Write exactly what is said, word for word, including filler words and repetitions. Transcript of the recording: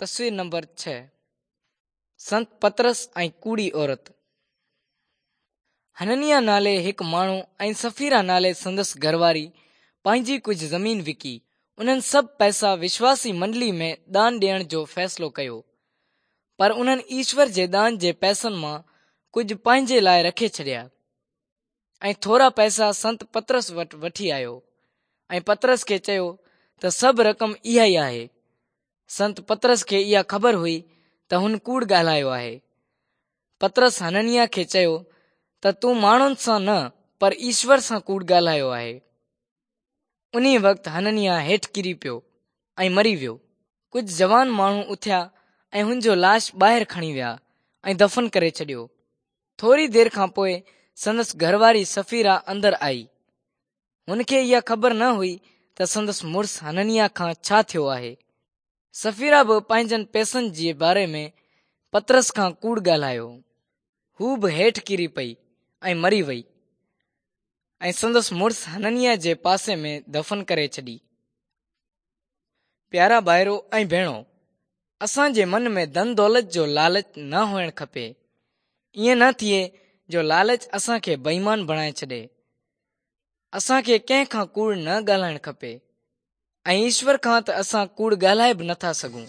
تصوير نمبر ڇهه سنت پطرس ۽ ڪوڙي عورت. حننياه نالي هڪ ماڻهو ۽ سفيرا نالي سندس گهرواري پنهنجي ڪجهه زمين وڪي انهن سڀ پئسا وشواسي منڊلي ۾ دان ڏيڻ جو فيصلو ڪيو، پر انهن ايشور جي دان جي پئسن مان ڪجهه پنهنجي لاءِ رکي ڇڏيا ۽ ٿورا پئسا سنت پطرس وٽ وٺي آيو ۽ پطرس کي چيو ته سڀ رقم اها ئي آهي. سنت پطرس کي اها خبر هئي ته هن ڪوڙ ڳالهايو آهي. پطرس حننياه کي چيو ته تون ماڻهن سان نه پر ايشور سان ڪوڙ ڳالهايو آهي. انهي وقت حننياه هيٺ ڪري پيو ۽ مري ويو. ڪجهه جوان ماڻهو اٿيا ۽ هن جو لاش ٻاهر کڻي ويا ۽ دفن ڪري ڇڏيو. ٿوري دير کان پوءِ سندس گهرواري سفيرا اندر آئي. هن کي اها خبر نه هئي ته سندس مڙس حننياه کان ڇا ٿيو آهي. سفيرا به پنهنجن پئسن جي باري ۾ پطرس کان ڪوڙ ڳالهايو. هو به هيٺ ڪري پئي ۽ مري وئي ۽ سندس مڙس حننياه جي پاسي ۾ دفن ڪري ڇڏي. پيارا ڀائرو ۽ ڀيڻو، اسان جي من ۾ ڌن دولت جو لالچ نه هئڻ کپي. ائين نه ٿئي جو لالچ اسان کي بي ايمان بڻائي ڇڏي. اسان کي ڪنهن کان ڪوڙ نه ڳالهائڻ کپي ۽ ايشور کان ته اسان ڪوڙ ڳالهائي به نٿا سگهون.